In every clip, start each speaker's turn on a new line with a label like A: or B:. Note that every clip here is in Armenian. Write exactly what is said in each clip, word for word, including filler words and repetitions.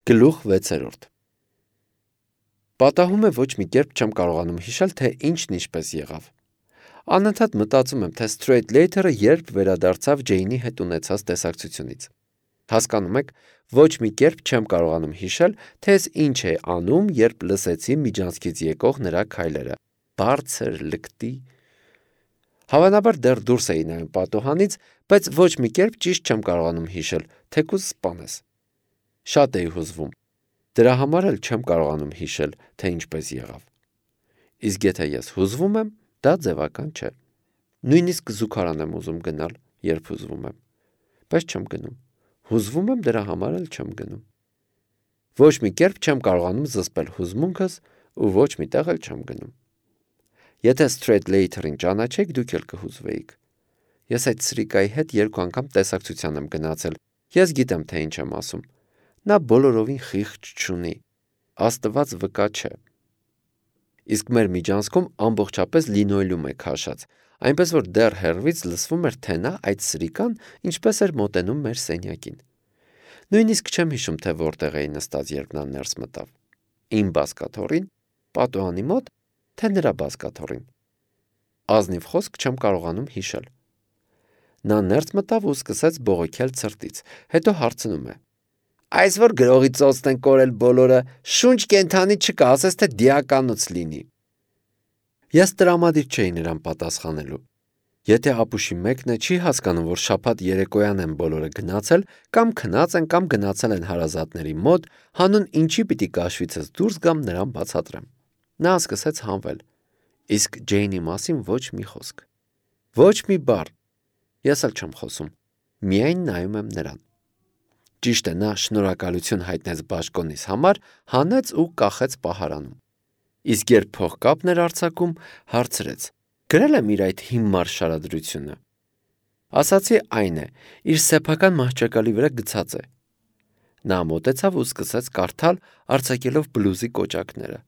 A: Գլուխ վեցերորդ Պատահում է ոչ մի կերպ չեմ կարողանում հիշել, թե ինչն ինչպես եղավ։ Անընդհատ մտածում եմ, թե Straight Later-ը երբ վերադարձավ Ջեյնի հետ ունեցած տեսակցությունից։ Հասկանում եք, ոչ մի կերպ չեմ կարողանում հիշել, թե ես ինչ էի անում, երբ լսեցի միջանցքից եկող նրա քայլերը։ Բարձր, լկտի։ Հավանաբար դեռ դուրս էի նայում պատուհանից, բայց ոչ մի կերպ ճիշտ չեմ կարողանում հիշել, թեկուզ սպանես։ Շատ էի հուզվում։ Դրա համար էլ չեմ կարողանում հիշել, թե ինչպես եղավ։ Իսկ եթե ես հուզվում եմ, դա ձևական չէ։ Նույնիսկ զուգարան եմ ուզում գնալ, երբ հուզվում եմ, բայց չեմ գնում։ Հուզվում եմ, դրա համար էլ չեմ գնում։ Ոչ մի կերպ չեմ կարողանում զսպել հուզմունքս ու ոչ մի տեղ էլ չեմ գնում։ Եթե Straight Later-ին ճանաչեք, դուք էլ կհուզվեիք։ Ես այդ սրիկայի հետ երկու անգամ տեսակցության եմ գնացել։ Ես գիտեմ, թե ինչ եմ ասում։ Նա բոլորովին խիղճ չունի, Աստված վկա չէ։ Իսկ մեր միջանցքում ամբողջապես լինոյելում է քաշած, այնպես որ դեռ հեռվից լսվում էր, թե նա այդ սրիկան ինչպես էր մոտենում մեր սենյակին։ Նույնիսկ չեմ հիշում, թե որտեղ էի նստած, երբ նա ներս մտավ։ Իմ բազկաթոռին, պատուհանի մոտ, թե նրա բազկաթոռին։ Ազնիվ խոսք չեմ կարողանում հիշել։ Նա ներս մտավ ու սկսեց բողոքել ցրտից, հետո հարցնում է. Այս որ գրողի ծոցն են կորել բոլորը, շունչ կենթանի չկա, ասես թե դիականոց լինի։ Ես տրամադիր չէի նրան պատասխանելու։ Եթե ապուշի մեկն է չի հասկանում, որ շաբաթ երեկոյան են բոլորը գնացել, կամ քնած են, կամ գնացել են հարազատների մոտ, հանուն ինչի պիտի կաշվիցս դուրս գամ նրան բացատրեմ։ Նա սկսեց հանվել։ Իսկ Ջեյնի մասին ոչ մի խոսք։ Ոչ մի բառ։ Ես էլ չեմ խոսում։ Միայն նայում եմ նրան։ Ճիշտ է, նա շնորհակալություն հայտնեց բաշխոնիս համար, հանեց ու կախեց պահարանում։ Իսկ երբ փողկապն էր արձակում, հարցրեց. Գրել եմ իր այդ հիմար շարադրությունը։ Ասացի այն է, իր սեփական մահճակալի վրա գցած է։ Նա մոտեցավ ու սկսեց կարդալ, արձակելով բլուզի կոճակները։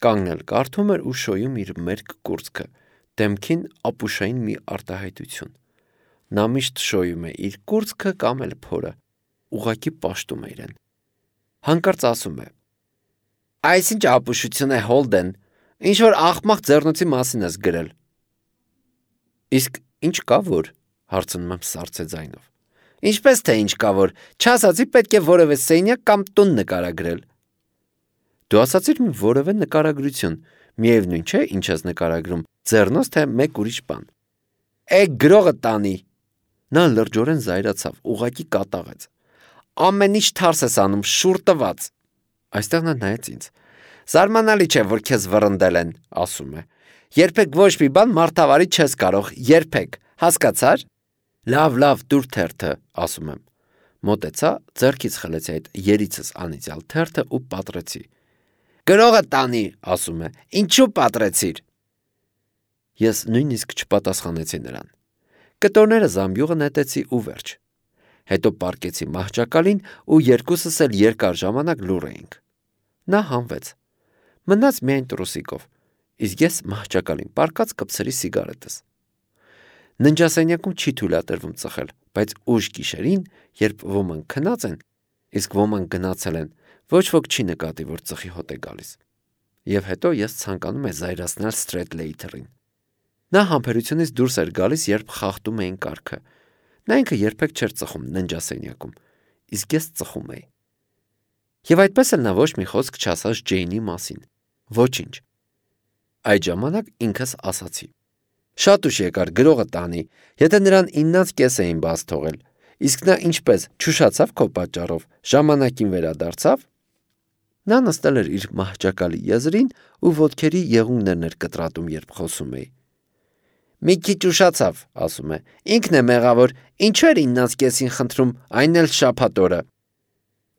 A: Կանգնել կարդում էր ու շոյում իր մերկ կուրծքը, դեմքին ապուշային մի արտահայտություն։ Նա միշտ շոյում է իր կուրծքը կամ էլ փորը, ուղղակի պաշտում է իրեն։ Հանկարծ ասում է. Այսինչ ապուշություն է, Հոլդեն, ինչ որ աղմաղ ձեռնոցի մասին ես գրել։ Իսկ ինչ կա որ, հարցնում եմ սառցե ձայնով։ Ինչպես թե ինչ կա որ, չասացի պետք է որևէ սենյակ կամ տուն նկարագրել։ Դու ասացիր մի որևէ նկարագրություն, միևնույն չէ, ինչ ես նկարագրում, ձեռնոց թե մեկ ուրիշ բան։ Է գրողը տանի։ Նա լրջորեն զայրացավ, ուղղակի կատաղեց։ Ամեն ինչ թարս ես անում, շուռ տված։ Այստեղ նա նայեց ինձ։ Զարմանալի չէ, որ քեզ վռնդել են, ասում է։ Երբեք ոչ մի բան մարդավարի չես կարող, երբեք, հասկացար։ Լավ, լավ, դուր թերթը, ասում եմ։ Մոտեցա, ձեռքից խլեցի այդ երիցս անիծյալ թերթը ու պատռեցի։ Գրողը տանի, ասում է։ Ինչու պատռեցիր։ Ես նույնիսկ չպատասխանեցի նրան։ Կտորները զամբյուղը նետեցի ու վերջ։ Հետո պառկեցի մահճակալին ու երկուսս էլ երկար ժամանակ լուռ էինք։ Նա հանվեց։ Մնաց միայն տրուսիկով, իսկ ես մահճակալին պառկած կպցրի սիգարետս։ Ննջասենյակում չի թույլատրվում ծխել, բայց ուշ գիշերին, երբ ոմանք քնած են, իսկ ոմանք գնացել են, ոչ ոք չի նկատի, որ ծխի հոտ է գալիս։ Եվ հետո ես ցանկանում եմ զայրացնել Straight Later-ին։ Նա համբերությունից դուրս էր գալիս, երբ խախտում էին կարգը։ Նա ինքը երբեք չէր ծխում ննջասենյակում, իսկ ես ծխում էի։ Եվ այդպես էլ նա ոչ մի խոսք չասաց Ջեյնի մասին։ Ոչինչ։ Այդ ժամանակ ինքս ասացի. Շատ ուշ եկար գրողը տանի, եթե նրան իննից կես էին բաց թողել, իսկ նա ինչպես չուշացավ քո պատճառով, ժամանակին վերադարձավ։ Նա նստել էր իր մահճակալի եզրին ու ոտքերի եղունգներն էր կտրատում, երբ խոսում էի։ Մի քիչ ուշացավ, ասում է, ինքն է մեղավոր, ինչու էր իննից կեսին խնդրում, այն էլ շաբաթ օրը։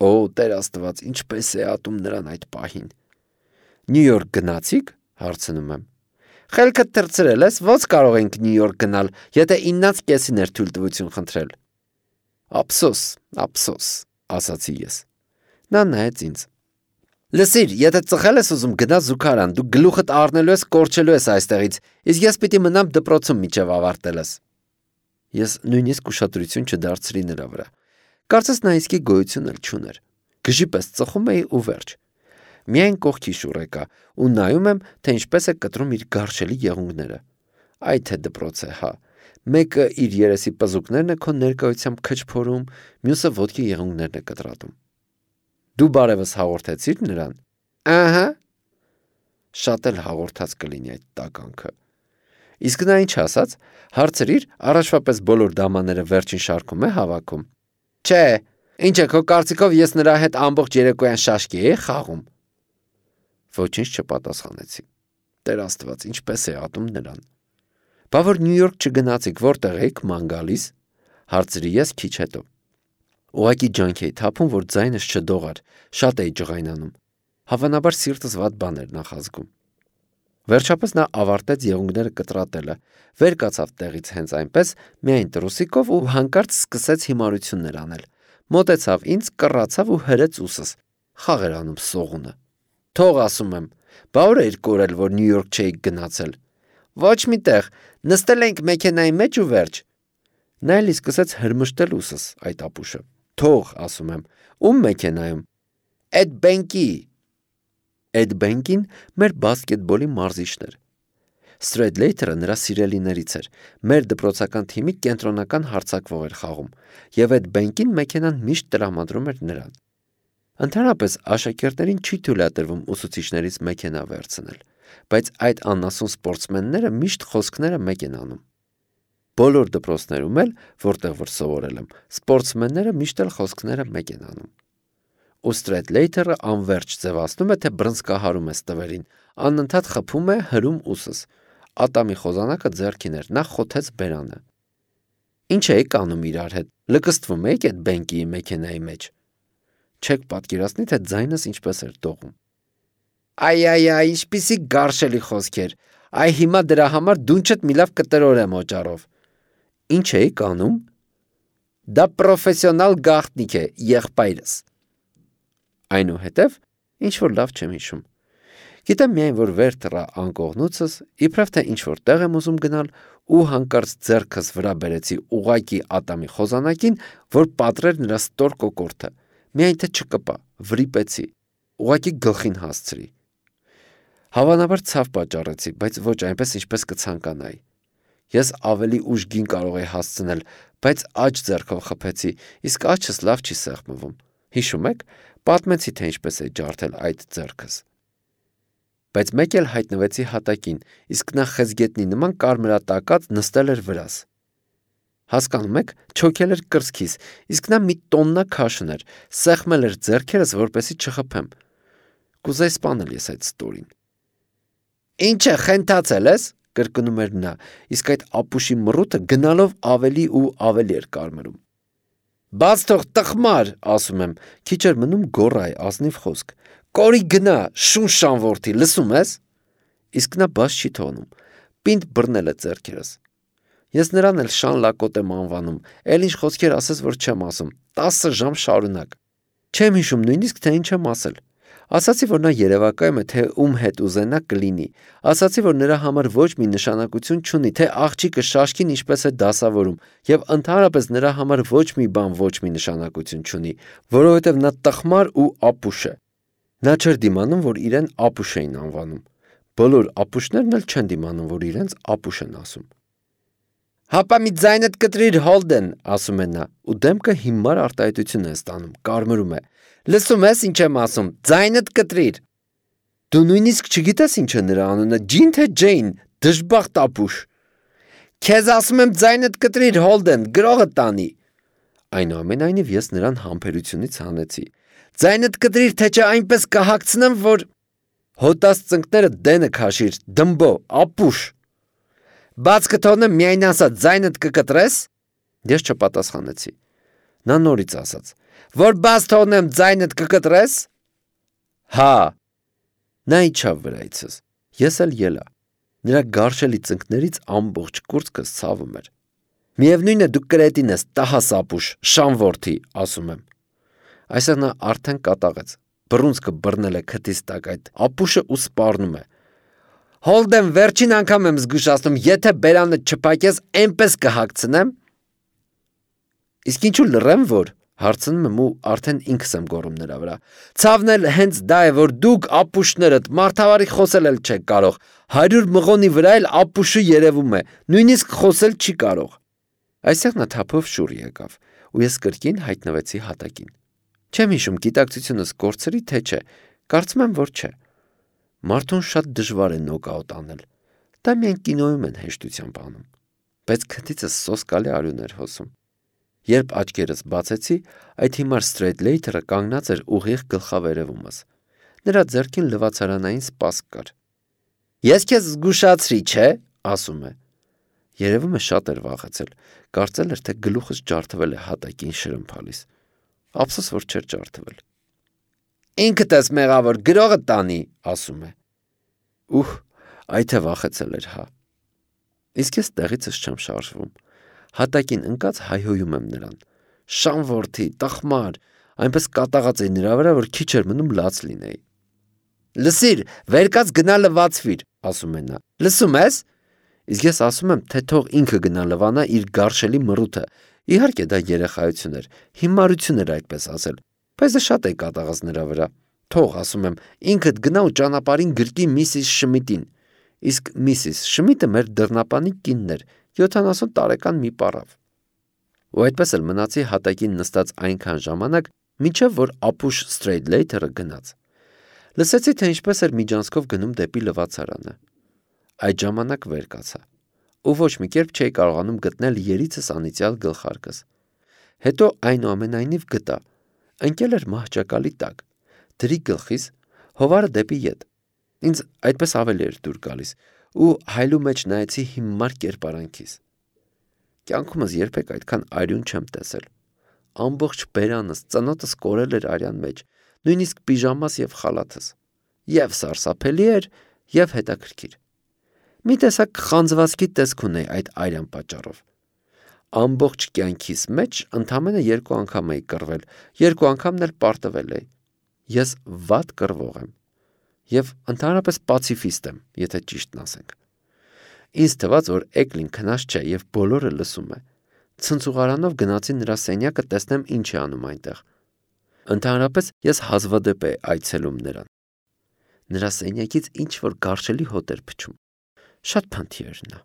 A: Օ, Տեր Աստված, ինչպես է ատում նրան այդ պահին։ Նյու Յորք գնացիք, հարցնում եմ։ Խելքդ թռցրել ես, ո՞նց կարող ենք Նյու Յորք գնալ, եթե իննից կեսին էր թույլտվություն խնդրել։ Ափսոս, ափսոս, ասացի ես։ Նա նայեց ինձ։ Լսիր, եթե ծխել ես ուզում գնա զուգարան, դու գլուխդ առնելու ես, կորչելու ես այստեղից, իսկ ես պիտի մնամ դպրոցում մինչև ավարտել ես։ Ես նույնիսկ ուշադրություն չդարձրի նրա վրա։ Կարծես նա իսկի գոյություն էլ չուներ։ Գժի պես ծխում էի ու վերջ։ Միայն կողքի շուռ եկա ու նայում եմ, թե ինչպես է կտրում իր գարշելի եղունգները։ Այ թե դպրոց է, հա։ Մեկը իր երեսի պզուկներն է քո ներկայությամբ քչփորում, մյուսը ոտքի եղունգներն է կտրատում։ Դու բարևս հաղորդեցիր նրան։ Ահա։ Շատ էլ հաղորդած կլինի այդ տականքը։ Իսկ նա ինչ ասաց, հարցրիր, առաջվա պես բոլոր դամաները վերջին շարքում է հավաքում։ Չէ, ինչ է քո կարծիքով ես նրա հետ ամբողջ երեկոյան շաշկի էի խաղում։ Ոչինչ չպատասխանեցի։ Տեր Աստված, ինչպես է ատում նրան։ Բա որ Նյու Յորք չգնացիք, որտեղ եք ման գալիս, հարցրի ես քիչ հետո։ Ուղղակի ջանք էի թափում, որ ձայնս չդողար, շատ էի ջղայնանում։ Հավանաբար սիրտս վատ բան էր նախազգում։ Վերջապես նա ավարտեց եղունգները կտրատելը, վեր կացավ տեղից հենց այնպես, միայն տրուսիկով ու հանկարծ սկսեց հիմարություններ անել։ Մոտեցավ ինձ, կռացավ ու հրեց ուսս։ Խաղ էր անում սողունը։ Թող ասում եմ, բա ուր էր կորել, որ Նյու Յորք չէիք գնացել։ Ոչ մի տեղ, նստել ենք մեքենայի մեջ ու վերջ։ Նա էլի սկսեց հրմշտել ուսս այդ ապուշը։ Թող, ասում եմ, ում մեքենայում։ Էդ բենկի։ Էդ բենկին մեր բասկետբոլի մարզիչն էր։ Սթրեյթլեյթերը նրա սիրելիներից էր։ Մեր դպրոցական թիմի կենտրոնական հարձակվող էր խաղում, եւ այդ բենկին մեքենան միշտ տրամադրում էր նրան։ Ընդհանրապես աշակերտներին չի թույլատրվում ուսուցիչներից մեքենա վերցնել, բայց այդ անասուն սպորտսմենները միշտ խոսքները մեկ են անում։ Բոլոր դպրոցներում էլ, որտեղ որ սովորել եմ, սպորտսմենները միշտ էլ խոսքները մեկ են անում։ Ու Սթրեյթլեյթերը անverջ ձևացնում է, թե բռնցքահարում է ստվերին, անընդհատ խփում է հրում ուսս։ Ատամի խոզանակը ձեռքին էր, նա խոթեց բերանը։ Ինչ էիք անում իրար հետ, լկստվում էիք այդ բենկի մեքենայի մեջ։ Չեք պատկերացնի, թե ձայնս ինչպես էր դողում։ Այ այ այ, ինչպիսի գարշելի խոսքեր։ Այ հիմա դրա համար դունչդ մի լավ կտրորեմ օճառով։ Ինչ էիք անում։ Դա պրոֆեսիոնալ գաղտնիք է, եղբայրս։ Այնուհետև ինչ որ լավ չեմ հիշում։ Գիտեմ միայն, որ վեր թռա անկողնուցս, իբրև թե ինչ որ տեղ եմ ուզում գնալ ու հանկարծ ձեռքս վրա բերեցի ուղակի ատամի խոզանակին, որ պատրեր նրա ստոր կոկորտը։ Միայն թե չկպա, վրիպեցի, ուղղակի գլխին հասցրի։ Հավանաբար ցավ պատճառեցի, բայց ոչ այնպես, ինչպես կցանկանայի։ Ես ավելի ուժգին կարող էի հասցնել, բայց աջ ձեռքով խփեցի, իսկ աջս լավ չի սեղմվում։ Հիշում եք, պատմեցի, թե ինչպես է ջարդել այդ ձեռքս։ Բայց մեկ էլ հայտնվեցի հատակին, իսկ նա խեցգետնի նման կարմրատակած նստել էր վրաս։ Հասկանում եք, չոքել էր կրծքիս, իսկ նա մի տոննա քաշն էր, սեղմել էր ձեռքերս, որպեսզի չխփեմ։ Կուզեի սպանել ես այդ ստորին։ Ինչ է, խենթացել ես, կրկնում էր նա, իսկ այդ ապուշի մռութը գնալով ավելի ու ավելի էր կարմրում։ Բաց թող տխմար, ասում եմ, քիչ էր մնում գոռայի ազնիվ խոսք։ Կորի գնա, շուն շանվորթի, լսում ես։ Իսկ նա բաց չի թողնում, պինդ բռնել է ձեռքերս։ Ես նրան էլ շան լակոտ եմ անվանում, էլ ինչ խոսքեր ասես, որ չեմ ասում, տասը ժամ շարունակ։ Չեմ հիշում նույնիսկ, թե ինչ եմ ասել։ Ասացի, որ նա երևակայում է, թե ում հետ ուզենա կլինի։ Ասացի, որ նրա համար ոչ մի նշանակություն չունի, թե աղջիկը շաշկին ինչպես է դասավորում, եւ ընդհանրապես նրա համար ոչ մի բան ոչ մի նշանակություն չունի, որովհետեւ նա տխմար ու ապուշ է։ Նա չէր դիմանում, որ իրեն ապուշ էին անվանում։ Բոլոր ապուշներն էլ չեն դիմանում, որ իրենց ապուշ են ասում։ Հապա մի ձայնդ կտրիր Հոլդեն, ասում է նա, ու դեմքը հիմար արտահայտություն է ստանում, կարմրում է։ Լսում ես ինչ եմ ասում, ձայնդ կտրիր։ Դու նույնիսկ չգիտես ինչ է նրա անունը, Ջին թե Ջեյն, դժբախտ ապուշ։ Քեզ ասում եմ ձայնդ կտրիր Հոլդեն, գրողը տանի։ Այնուամենայնիվ ես նրան համբերությունից հանեցի։ Ձայնդ կտրիր, թե չէ այնպես կհագցնեմ, որ հոտած ծնկները դենը քաշիր, դմբո, ապուշ։ Բաց կթողնեմ միայն ասած, ձայնդ կկտրես։ Ես չպատասխանեցի։ Նա նորից ասաց. Որ բաց թողնեմ ձայնդ կկտրես։ Հա։ Նա իջավ վրայիցս։ Ես էլ ելա։ Նրա գարշելի ծնկներից ամբողջ կուրծքս ցավում էր։ Միևնույն է դու կրետին ես, տահաս ապուշ, շանվորթի, ասում եմ։ Այսօր նա արդեն կատաղեց։ Բռունցքը բռնել է քթից տակ այդ ապուշը ու սպառնում է։ Հոլդեն, վերջին անգամ եմ զգուշացնում, եթե բերանը չփակես, այնպես կհագցնեմ։ Իսկ ինչու լռեմ, որ Հարցնում եմ ու արդեն ինքս եմ գոռում նրա վրա. Ցավն էլ հենց դա է, որ դուք ապուշներդ մարդավարի խոսել էլ չեք կարող, հարյուր մղոնի վրա էլ ապուշը երևում է, նույնիսկ խոսել չի կարող։ Այստեղ նա թափով շուռ եկավ, ու ես կրկին հայտնվեցի հատակին։ Չեմ հիշում գիտակցությունս կորցրի թե չէ, կարծում եմ, որ չէ։ Մարդուն շատ դժվար է նոկաուտ անել, դա միայն կինոյում են հեշտությամբ անում, բայց քթիցս սոսկալի արյուն էր հոսում։ Երբ աչքերս բացեցի, այդ հիմար Սթրեյթլեյթերը կանգնած էր ուղիղ գլխավերևումս։ Նրա ձեռքին լվացարանային սպասք կար։ Ես քեզ զգուշացրի, չէ, ասում է։ Երևում է շատ էր վախեցել, կարծել էր, թե գլուխս ջարդվել է հատակին շրմփալիս։ Ափսոս, որ չէր ջարդվել։ Ինքդ ես մեղավոր, գրողը տանի, ասում է։ Ուհ, այ թե վախեցել էր, հա։ Իսկ ես տեղիցս չեմ շարժվում։ Հատակին ընկած հայհոյում եմ նրան։ Շան որդի, տխմար, այնպես կատաղած էի նրա վրա, որ քիչ էր մնում լաց լինեի։ Լսիր, վեր կաց գնա լվացվիր, ասում է նա։ Լսում ես։ Իսկ ես ասում եմ, թե թող ինքը գնա լվանա իր գարշելի մռութը։ Իհարկե դա երեխայություն էր, հիմարություն էր այդպես ասել, բայց դա շատ է կատաղած նրա վրա։ Թող, ասում եմ, ինքդ գնա ու ճանապարհին գրկի միսիս Շմիդին։ Իսկ միսիս Շմիդը մեր դռնապանի կինն էր, յոթանասուն տարեկան մի պառավ։ Ու այդպես էլ մնացի հատակին նստած այնքան ժամանակ, մինչև որ ապուշ Սթրեյթլեյթերը գնաց։ Լսեցի, թե ինչպես էր միջանցքով գնում դեպի լվացարանը։ Այդ ժամանակ վեր կացա, ու ոչ մի կերպ չէի կարողանում գտնել երիցս անիծյալ գլխարկս։ Հետո այնուամենայնիվ գտա, ընկել էր մահճակալի տակ, դրի գլխիս, հովարը դեպի ետ։ Ինձ այդպես ավելի էր դուր գալիս, ու հայլու մեջ նայեցի հիմար կերպարանքիս։ Կյանքումս երբեք այդքան արյուն չեմ տեսել։ Ամբողջ բերանս, ծնոտս կորել էր արյան մեջ, նույնիսկ պիժամաս եւ խալաթս։ Եվ սարսափելի էր, եւ հետաքրքիր։ Մի տեսակ խանձվածքի տեսք ունեի այդ արյան պատճառով։ Ամբողջ կյանքիս մեջ ընդամենը երկու անգամ էի կռվել, երկու անգամն էլ պարտվել էի։ Ես վատ կռվող եմ եւ ընդհանրապես պացիֆիստ եմ, եթե ճիշտն ասենք։ Ինձ թվաց, որ Էկլին քնած չէ եւ բոլորը լսում է։ Ցնցուղարանով գնացի նրա սենյակը տեսնեմ ինչ է անում այնտեղ։ Ընդհանրապես ես հազվադեպ էի այցելում նրան։ Նրա սենյակից ինչ որ գարշելի հոտ էր փչում։ Շատ փնթի էր նա։